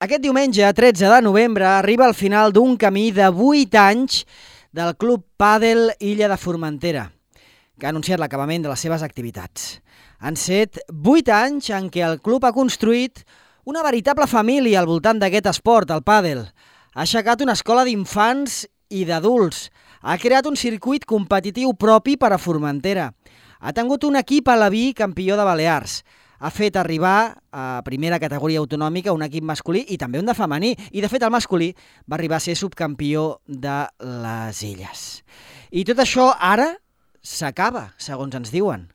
Aquest diumenge, 13 de novembre, arriba al final d'un camí de 8 anys del Club Pàdel Illa de Formentera, que ha anunciat l'acabament de les seves activitats. Han set 8 anys en què el club ha construït una veritable família al voltant d'aquest esport, el pàdel. Ha aixecat una escola d'infants i d'adults. Ha creat un circuit competitiu propi per a Formentera. Ha tingut un equip alaví campió de Balears. Ha fet arribar a primera categoria autonòmica un equip masculí i també un de femení. I, de fet, el masculí va arribar a ser subcampió de les Illes. I tot això ara s'acaba, segons ens diuen.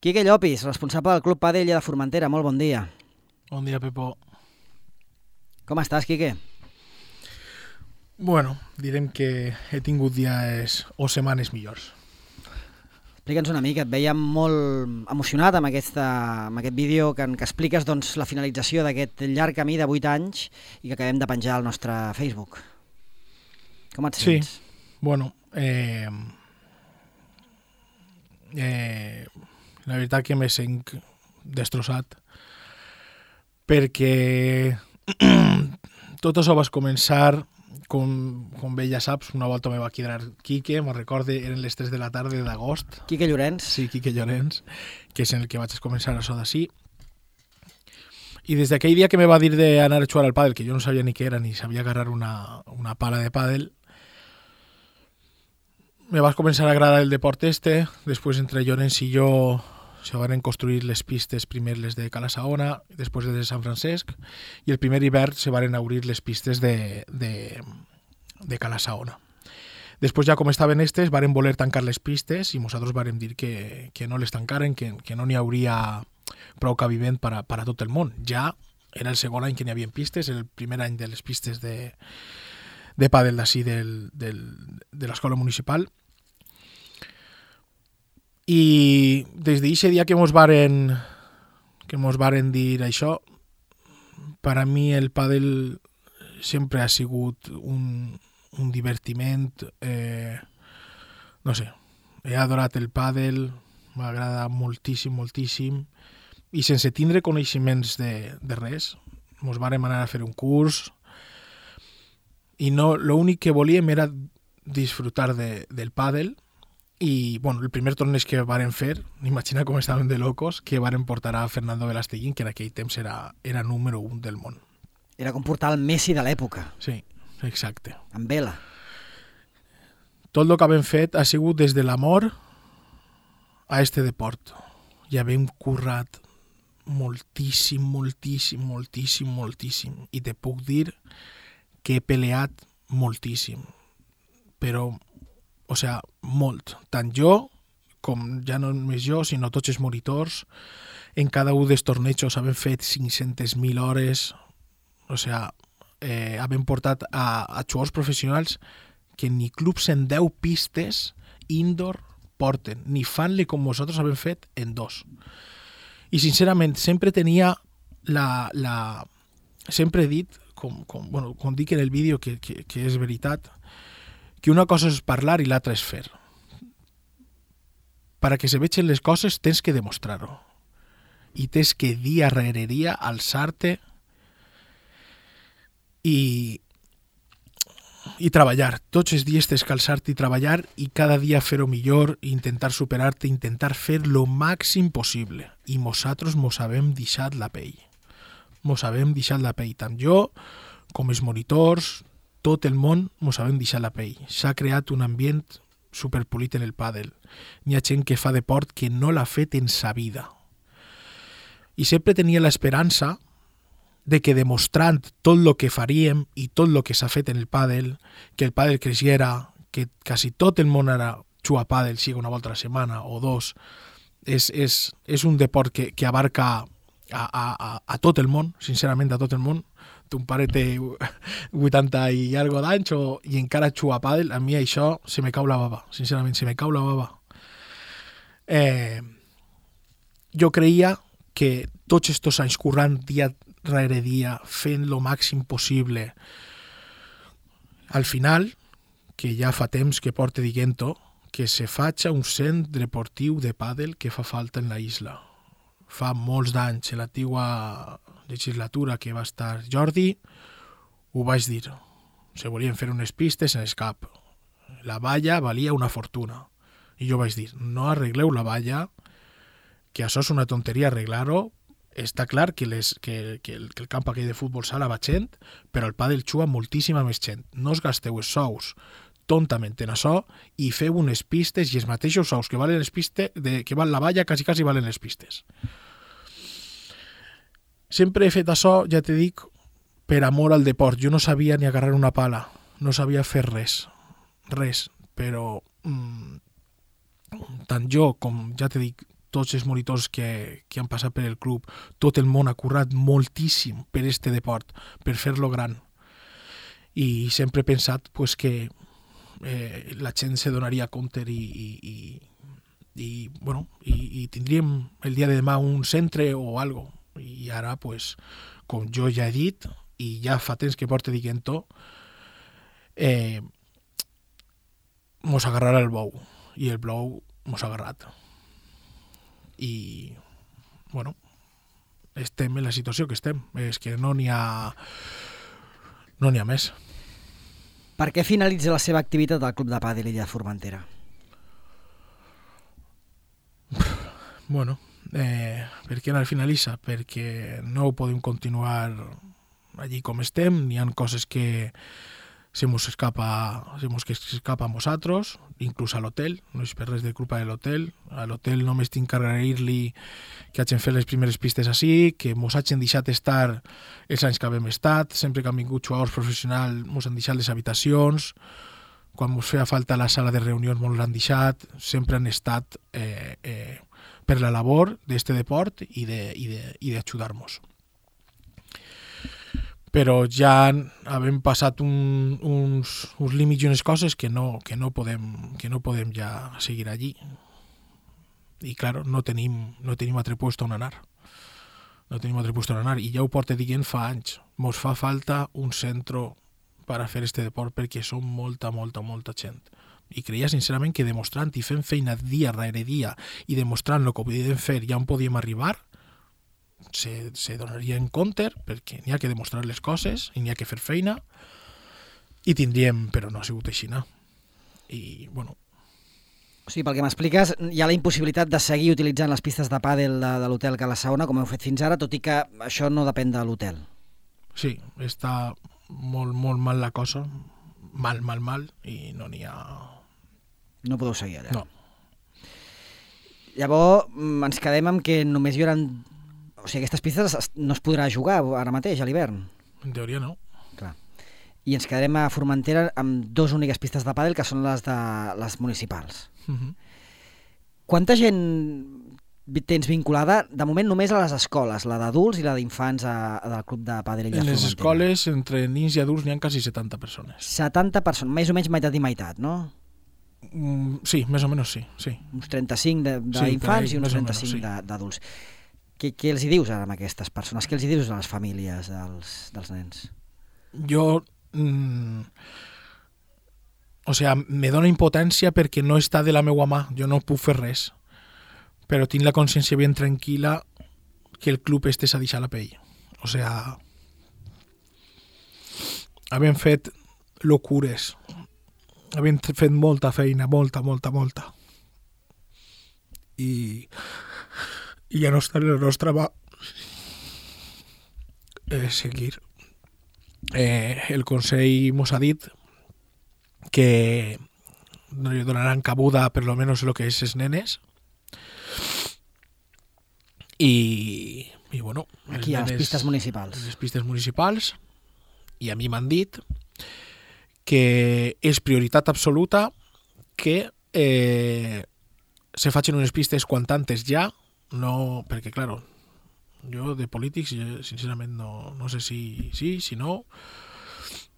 Quique Llopis, responsable del Club Pàdel Illa de Formentera. Molt bon dia. Bon dia, Pepo. Com estàs, Quique? Bueno, direm que he tingut dies o setmanes millors. Explica'ns una mica, et veiem molt emocionat amb aquest vídeo que expliques doncs, la finalització d'aquest llarg camí de 8 anys i que acabem de penjar al nostre Facebook. Com et sents? Sí, bueno, la veritat que me sent destrossat perquè tot això va començar, com bé ja saps, una volta me va quedar Quique, me'n recorde, eren les 3 de la tarda d'agost. Quique Llorenç. Sí, Quique Llorenç, que és en el que vaig començar això d'ací. I des d'aquell dia que me va dir d'anar a jugar al pàdel, que jo no sabia ni què era, ni sabia agarrar una pala de pàdel, me va començar a agradar el deport este. Després, entre Llorenç i jo, se van construir les pistes, primer les de Cala Saona, després les de Sant Francesc, i el primer hivern se van obrir les pistes de Cala Saona. Després, ja com estaven estes, varen voler tancar les pistes i nosaltres varen dir que no les tancaren, que no n'hi hauria prou cabiment per a tot el món. Ja era el segon any que n'hi havia pistes, el primer any de les pistes de pàdel d'ací de l'escola municipal. I des d'aquest dia que mos varen dir això, per a mi el pàdel sempre ha sigut un divertiment. No sé, he adorat el pàdel, m'agrada moltíssim, moltíssim, i sense tindre coneixements de res. Mos vàrem anar a fer un curs i l'únic que volíem era disfrutar del pàdel. I bueno, el primer torneig que varen fer, imagina com estaven de locos, que varen portar a Fernando Velasteguín, que en aquell temps era número 1 del món. Era com portar el Messi de l'època. Sí, exacte. Amb vela. Tot el que havem fet ha sigut des de l'amor a este deport. I havem currat moltíssim, moltíssim, moltíssim, moltíssim. I te puc dir que he peleat moltíssim. Però o sea, molt. Tant jo, com ja no només jo, sinó tots els monitors, en cada un dels tornejos havem fet 500.000 hores. O sea, havem portat a jugadors professionals que ni clubs en 10 pistes indoor porten, ni fan-le com nosaltres havem fet en 2. I sincerament, sempre tenia sempre he dit, com dic en el vídeo, que és veritat, que una cosa és parlar i l'altra és fer. Para que se vegin les coses tens que demostrar-ho. I tens que dia rere dia alçar-te i treballar. Tots els dies tens que alçar-te i treballar i cada dia fer-ho millor, intentar superar-te, intentar fer lo màxim possible. I nosaltres mos havem deixat la pell. Mos havem deixat la pell. Tant jo com els monitors, tot el món mos havem deixat la pell. S'ha creat un ambient superpolit en el pàdel. N'hi ha gent que fa deport que no l'ha fet en sa vida. I sempre tenia l'esperança de que demostrant tot el que faríem i tot el que s'ha fet en el pàdel, que el pàdel creixera, que quasi tot el món ara juga a pàdel, sigui una volta a la setmana o 2, és un deport que abarca a tot el món, sincerament a tot el món. Un pare té 80 i algo d'anys i encara juga a pàdel. A mi això se me cau la bava, sincerament, se me cau la bava. Jo creia que tots estos anys currant dia rere dia, fent lo màxim possible, al final, que ja fa temps que porte dient-ho, que se faci un centre deportiu de pàdel que fa falta en la isla. Fa molts d'anys, en l'antigua legislatura que va estar Jordi, ho vaig dir. Se volien fer unes pistes en escap. La valla valia una fortuna. I jo vaig dir, no arregleu la valla, que això és una tonteria arreglar-ho. Està clar que el camp aquell de futbol sala va gent, però el pàdel juga moltíssima més gent. No us gasteu els sous tontament en això i feu unes pistes i els mateixos sous que valen les pistes, que val la valla, quasi valen les pistes. Sempre he fet això, ja te dic, per amor al deport. Jo no sabia ni agarrar una pala, no sabia fer res, però tant jo com, ja te dic, tots els monitors que han passat per el club, tot el món ha currat moltíssim per este deport, per fer-lo gran. I sempre he pensat pues, que la gent se donaria compte i tindríem el dia de demà un centre o algo. I ara, pues, com jo ja he dit, i ja fa temps que porto dient-ho, mos agarrarà el bou, i el bou mos ha agarrat. I, bueno, estem en la situació que estem. És que no n'hi ha més. Per què finalitza la seva activitat al Club de Pàdel Illa de Formentera? Bueno, per què no finalitza? Perquè no podem continuar allí com estem, n'hi ha coses que se mos escapa a nosaltres, inclús a l'hotel, no és per res de culpa de l'hotel. A l'hotel només tinc que agrair-li que hagin fet les primeres pistes així, que mos hagin deixat estar els anys que havíem estat, sempre que han vingut jugadors professionals mos han deixat les habitacions, quan mos feia falta la sala de reunions mos l'han deixat, sempre han estat per la labor d'este deport i d'ajudar-nos. Però ja hem passat uns límits i unes coses que no podem ja seguir allí. I, claro, no tenim altre puesto on anar. I ja ho porto dient fa anys. Mos fa falta un centre per a fer este deport perquè som molta gent. I creia sincerament que demostrant i fent feina dia rere dia i demostrant el que podíem fer i on podíem arribar, se donaria en compte perquè n'hi ha que demostrar les coses i n'hi ha que fer feina i tindríem, però no ha sigut així. I, bueno... O sigui, pel que m'expliques, hi ha la impossibilitat de seguir utilitzant les pistes de pàdel de l'hotel Cala Saona, com heu fet fins ara, tot i que això no depèn de l'hotel. Sí, està molt mal la cosa, mal, i no n'hi ha... No podeu seguir allà. No. Llavors, ens quedem amb que només hi haurà... O sigui, aquestes pistes no es podrà jugar ara mateix, a l'hivern. En teoria no. Clar. I ens quedarem a Formentera amb 2 úniques pistes de pàdel, que són les municipals. Quanta gent tens vinculada? De moment només a les escoles, la d'adults i la d'infants del Club de Pàdel Illa de Formentera. En les escoles, entre nens i adults, n'hi ha quasi 70 persones. 70 persones, més o menys meitat i meitat, no? Sí, més o menys sí. Uns 35 d'infants i uns 35 d'adults. Què els hi dius ara a aquestes persones? Què els hi dius a les famílies dels nens? Jo... me dona impotència perquè no està de la meva mà. Jo no puc fer res. Però tinc la consciència ben tranquil·la que el club este s'ha deixat la pell. Havent fet locures. Havent fet molta feina, molta. I ja no està en la nostra mà seguir. El Consell mos ha dit que donaran cabuda per lo menos lo que és les nenes i bueno, aquí a les pistes municipals. Les pistes municipals, i a mi m'han dit que és prioritat absoluta que se facin unes pistes quan tantes ja. No, perquè, claro, jo de polítics, sincerament, no sé si sí, si no.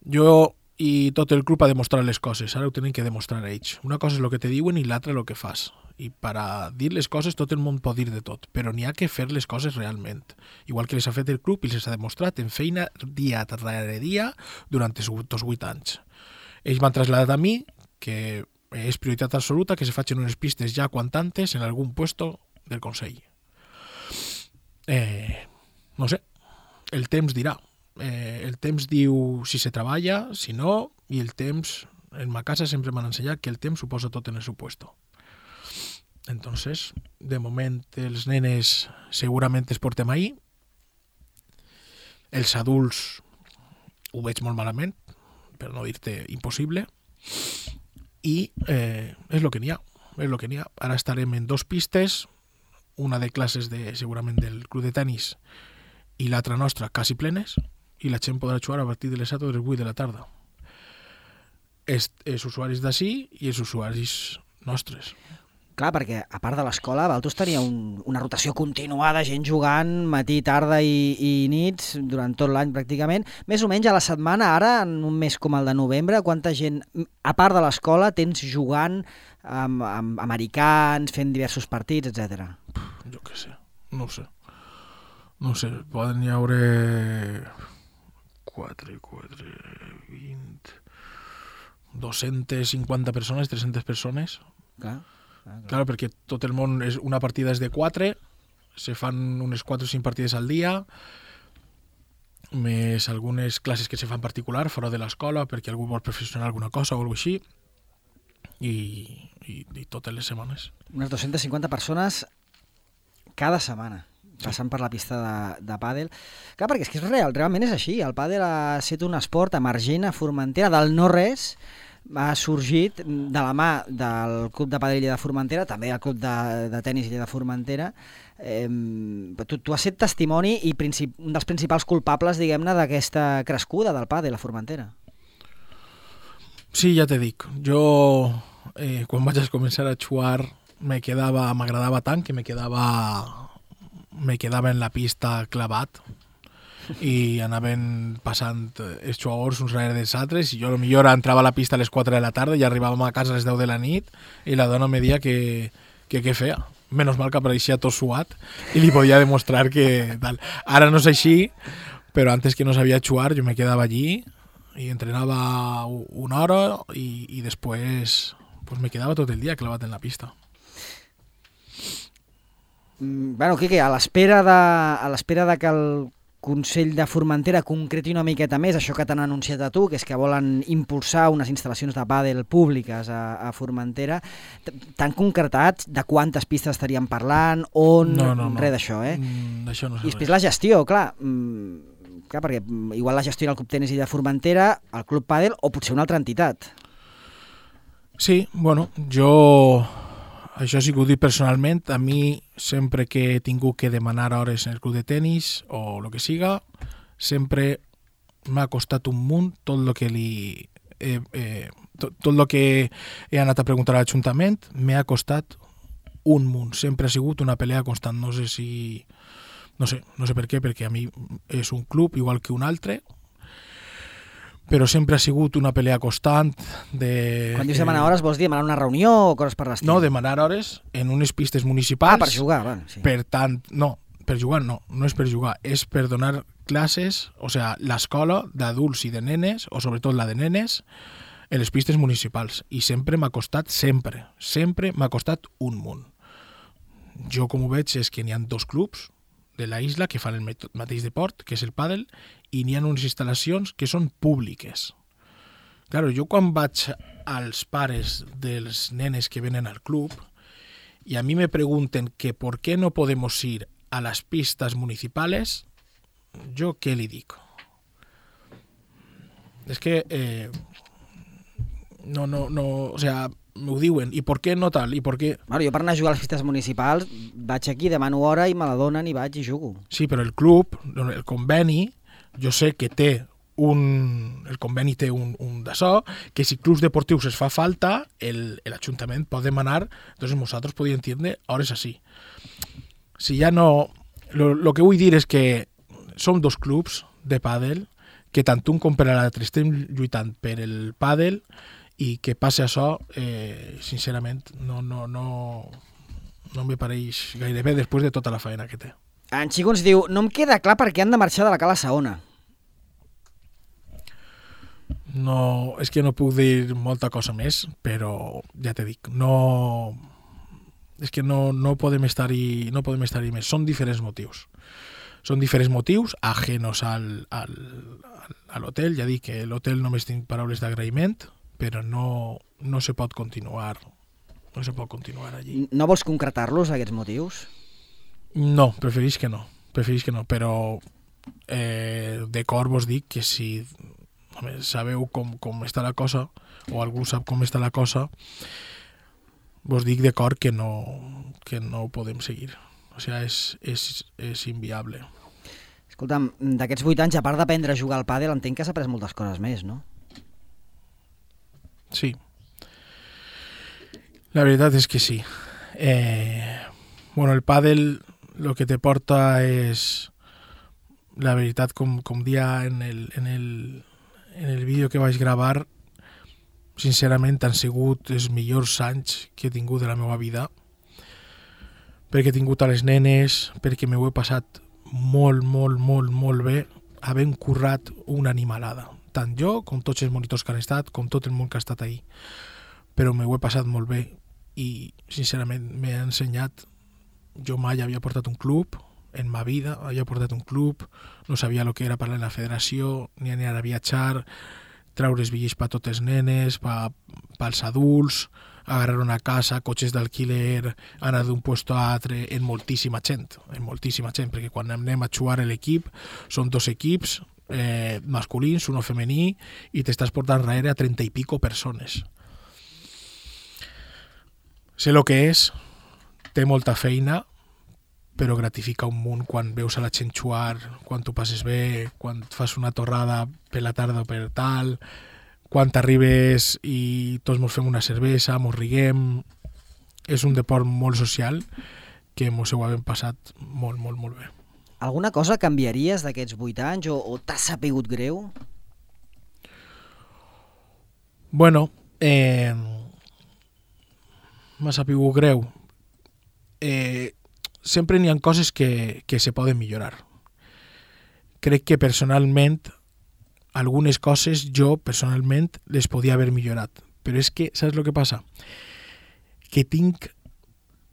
Jo i tot el club ha demostrat les coses, ara ho tenen que demostrar ells. Una cosa és el que te diuen i l'altra el que fas. I per a dir les coses tot el món pot dir de tot, però n'hi ha que fer les coses realment. Igual que les ha fet el club i les ha demostrat en feina dia rere dia durant els 8 anys. Ells m'han traslladat a mi que és prioritat absoluta que se facin unes pistes ja quan tantes en algun puesto del Consell. No sé, el temps dirà. El temps diu si se treballa, si no, i el temps, en ma casa sempre m'han ensenyat que el temps ho posa tot en el seu puesto. Entonces, de moment, els nenes segurament es portem ahí. Els adults ho veig molt malament, per no dir-te impossible, i és el que n'hi ha. Ara estarem en 2 pistes, una de classes segurament del club de tenis i l'altra nostra quasi plenes, i la gent podrà jugar a partir de les 7 o de les 8 de la tarda. Els usuaris d'ací i els usuaris nostres. Clar, perquè a part de l'escola, Valtos tenia una rotació continuada, gent jugant matí, tarda i nits durant tot l'any pràcticament. Més o menys a la setmana, ara, en un mes com el de novembre, quanta gent, a part de l'escola, tens jugant amb americans, fent diversos partits, etc. Jo què sé, no ho sé, poden hi haure 4, 20, 250 persones, 300 persones. Clar, perquè tot el món, una partida és de 4, se fan unes 4 o 5 partides al dia, més algunes classes que se fan particular, fora de l'escola, perquè algú vol perfeccionar alguna cosa o alguna així, i totes les setmanes. Unes 250 persones cada setmana passant per la pista de pàdel. Clar, perquè és que és realment és així. El pàdel ha estat un esport emergent a Formentera, del no-res, ha sorgit de la mà del Club de Pàdel Illa de Formentera, també el Club de Tenis Illa de Formentera. Tu has estat testimoni i un dels principals culpables, diguem-ne, d'aquesta crescuda del pàdel a Formentera. Sí, ja te dic. Jo, quan vaig començar a jugar, m'agradava tant que me quedava en la pista clavat i anaven passant els jugadors uns darrere dels altres i jo potser entrava a la pista a les 4 de la tarda i arribàvem a casa a les 10 de la nit i la dona me deia que què feia. Menys mal que apareixia tot suat i li podia demostrar que tal. Ara no és així, però antes que no sabia jugar jo me quedava allí i entrenava una hora i després pues me quedava tot el dia clavat en la pista. Bueno, Quique, a l'espera de que el Consell de Formentera concreti una miqueta més això que t'han anunciat a tu, que és que volen impulsar unes instal·lacions de pàdel públiques a Formentera, t'han concretat de quantes pistes estaríem parlant, on... No. Res d'això, D'això no sé I després la gestió, clar, perquè igual la gestió del Club Tenis i de Formentera, el Club Pàdel o potser una altra entitat. Sí, bueno, jo... Això sí que ho dic personalment, a mi sempre que he tingut que demanar hores en el club de tenis o el que siga, sempre m'ha costat un munt tot el que tot el que he anat a preguntar a l'Ajuntament, m'ha costat un munt. Sempre ha sigut una pelea constant. No sé per què, perquè a mi és un club igual que un altre, però sempre ha sigut una pelea constant de... Quan dius demanar hores, vols dir demanar una reunió o coses per l'estil? No, demanar hores en unes pistes municipals. Per jugar, bueno, sí. Per tant, no, per jugar no és per jugar, és per donar classes, o sigui, l'escola d'adults i de nenes, o sobretot la de nenes, en les pistes municipals. I sempre m'ha costat, sempre m'ha costat un munt. Jo, com ho veig, és que n'hi ha 2 clubs de la isla que fan el mateix deport, que és el pàdel, i n'hi ha unes instal·lacions que són públiques. Claro, jo quan vaig als pares dels nenes que venen al club i a mi me pregunten que por qué no podemos ir a las pistas municipales, jo què li dic? És que o sea, m'ho diuen, i per què no tal, i per què... Bueno, jo per anar a jugar a les pistes municipals vaig aquí, demano hora i me la donen i vaig i jugo. Sí, però el club, el conveni, jo sé que el conveni té un d'això, que si clubs deportius es fa falta, l'Ajuntament pot demanar, entonces nosaltres podíem tindre hores així. Si ja no... Lo que vull dir és que som 2 clubs de pàdel, que tant un com per l'altre estem lluitant per el pàdel, i que passi això, sincerament, no me pareix gaire bé després de tota la feina que té. En Xico ens diu, no em queda clar per què han de marxar de la Cala Saona. No, és que no puc dir molta cosa més, però ja t'he dit, és que no podem estar-hi més. Són diferents motius. Són diferents motius, ajenos a l'hotel. Ja dic que l'hotel només tinc paraules d'agraïment, però no se pot continuar. No se pot continuar allí. No vols concretar-los, aquests motius? No, preferís que no, però de cor vos dic que si sabeu com està la cosa, o algú sap com està la cosa, vos dic de cor que no ho podem seguir. O sigui, és inviable. Escolta'm, d'aquests 8 anys, a part d'aprendre a jugar al pàdel, entenc que has après moltes coses més, no? Sí. La veritat és que sí. El pàdel lo que te porta és, la veritat, com dia en el vídeo que vaig gravar, sincerament han sigut els millors anys que he tingut de la meva vida, perquè he tingut a les nenes, perquè m'ho he passat molt, molt, molt, molt bé, havent currat una animalada. Tant jo, com tots els monitors que han estat, com tot el món que ha estat ahí. Però m'ho he passat molt bé i, sincerament, m'ha ensenyat. Jo mai havia portat un club, en ma vida havia portat un club, no sabia el que era parlar en la federació, ni anar a viatjar, treure els bitllets per totes les nenes, pels adults, agarrar una casa, cotxes d'alquiler, anar d'un puesto a altre, en moltíssima gent, perquè quan anem a jugar l'equip, són 2 equips masculins, uno femení, i t'estàs portant darrere a 30 i pico persones. Sé el que és, té molta feina, però gratifica un munt quan veus a la gent jugar, quan t'ho passes bé, quan fas una torrada per la tarda o per tal, quan t'arribes i tots mos fem una cervesa, mos riguem. És un deport molt social que mos ho hem passat molt, molt, molt bé. Alguna cosa canviaries d'aquests 8 anys o t'ha sapigut greu? Bueno, m'ha sapigut greu. Sempre n'hi ha coses que se poden millorar. Crec que personalment algunes coses jo personalment les podia haver millorat, però és que saps el que passa? Que tinc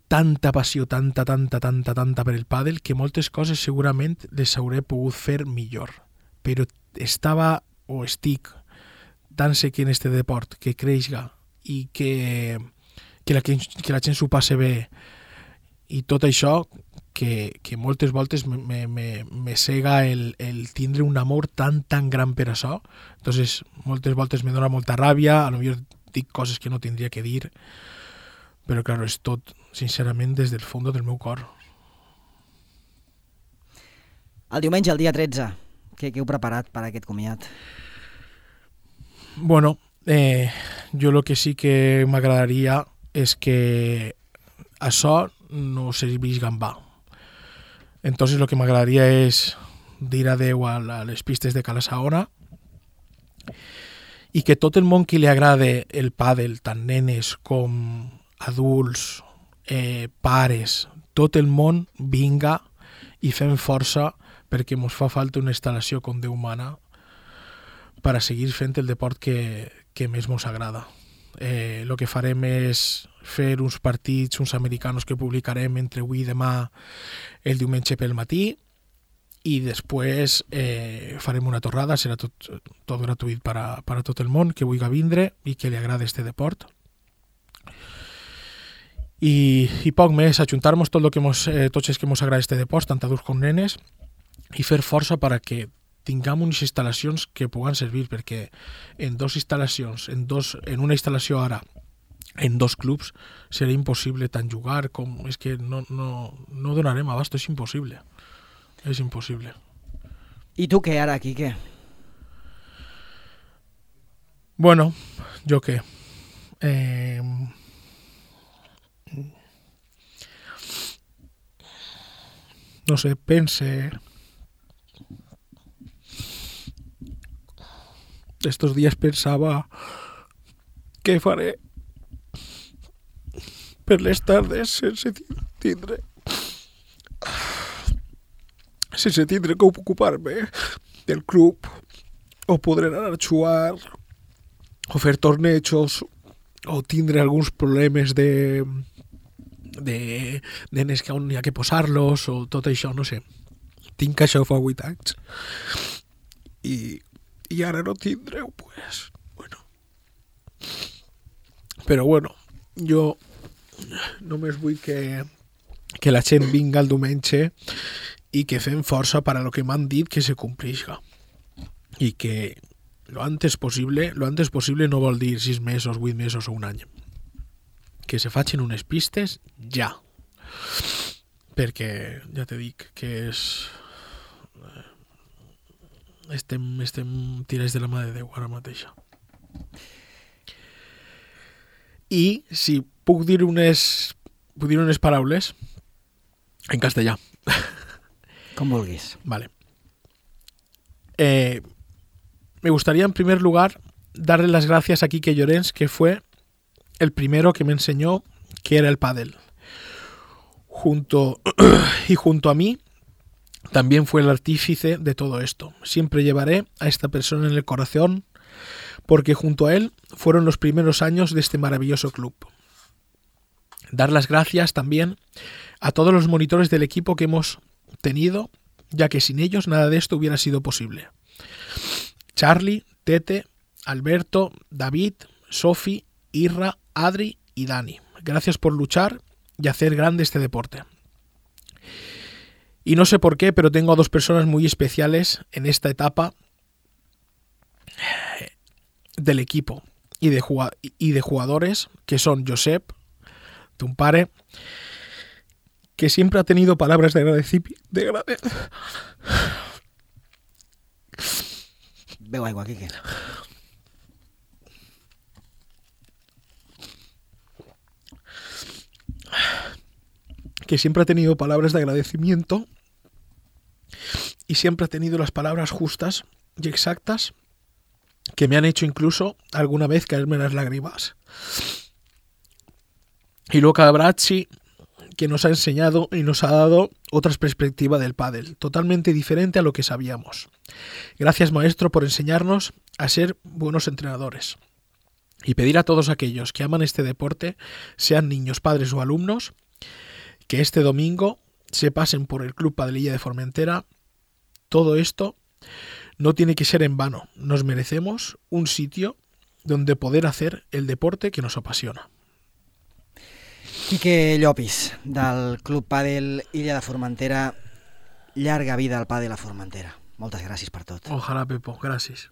tanta passió, tanta per el pàdel, que moltes coses segurament les hauré pogut fer millor, però estava o estic tan sec en este deport que creixga i que la gent s'ho passe bé i tot això, que moltes voltes me cega el tindre un amor tan gran per això. Entonces, moltes voltes me dona molta ràbia, a lo millor dic coses que no tindria que dir, però claro, és tot, sincerament, des del fons del meu cor. El diumenge, el dia 13, què heu preparat per aquest comiat? Bueno, jo el que sí que m'agradaria és que això no serveix gambà. Entonces lo que m'agradaria és dir adeu a les pistes de Cala Saona i que tot el món que li agrade el pàdel, tant nenes com adults, pares, tot el món vinga i fem força perquè ens fa falta una instal·lació com Déu mana per a seguir fent el deport que més ens agrada. El que farem és fer uns partits, uns americanos que publicarem entre avui i demà el diumenge pel matí i després farem una torrada, serà tot gratuït per a tot el món que vulgui vindre i que li agrada este deport. I poc més, ajuntar-nos tots els que ens agrada este deport, tant adults com nenes, i fer força per a que tinguem unes instal·lacions que puguen servir, perquè en 2 instal·lacions, en una instal·lació ara, en 2 clubs, serà impossible tant jugar com... És que no donarem abast, és impossible. És impossible. I tu què ara, Quique? Bueno, jo què? No sé, pense... Estos días pensaba què faré per les tardes sense tindre que ocupar-me del club o podré anar a jugar o fer tornejos o tindre alguns problemes de nenes que on hi ha que posar-los o tot això, no sé. tinc això fa 8 anys i ara no tindreu, pues, bueno. Però bueno, jo només vull que la gent vinga el diumenge i que fem força per a lo que m'han dit que se complisca. I que lo antes posible no vol dir 6 mesos, 8 mesos o un any. Que se facin unes pistes ja. Perquè, ja te dic, que és... Estem tirats de la mà de Déu ara mateixa. I si puc dir unes paraules en castellà. Com vulguis. Vale. Me gustaría en primer lugar darle las gracias a Quique Llorens, que fue el primero que me enseñó qué era el pádel. Junto a mí también fue el artífice de todo esto. Siempre llevaré a esta persona en el corazón porque junto a él fueron los primeros años de este maravilloso club. Dar las gracias también a todos los monitores del equipo que hemos tenido, ya que sin ellos nada de esto hubiera sido posible. Charlie, Tete, Alberto, David, Sofi, Irra, Adri y Dani. Gracias por luchar y hacer grande este deporte. Y no sé por qué, pero tengo a 2 personas muy especiales en esta etapa del equipo y de jugadores, que son Josep, tu pare, que siempre ha tenido palabras de agradecimiento. Beu aigua, Quique. Que siempre ha tenido palabras de agradecimiento y siempre ha tenido las palabras justas y exactas que me han hecho incluso alguna vez caerme las lágrimas. Y Luca Bracci, que nos ha enseñado y nos ha dado otra perspectiva del pádel, totalmente diferente a lo que sabíamos. Gracias, maestro, por enseñarnos a ser buenos entrenadores. Y pedir a todos aquellos que aman este deporte, sean niños, padres o alumnos, que este domingo se pasen por el Club Padelilla de Formentera. Todo esto no tiene que ser en vano. Nos merecemos un sitio donde poder hacer el deporte que nos apasiona. Quique Llopis, del Club Pàdel Illa de Formentera. Llarga vida al pàdel a Formentera. Moltes gràcies per tot. Ojalà, Pepo. Gràcies.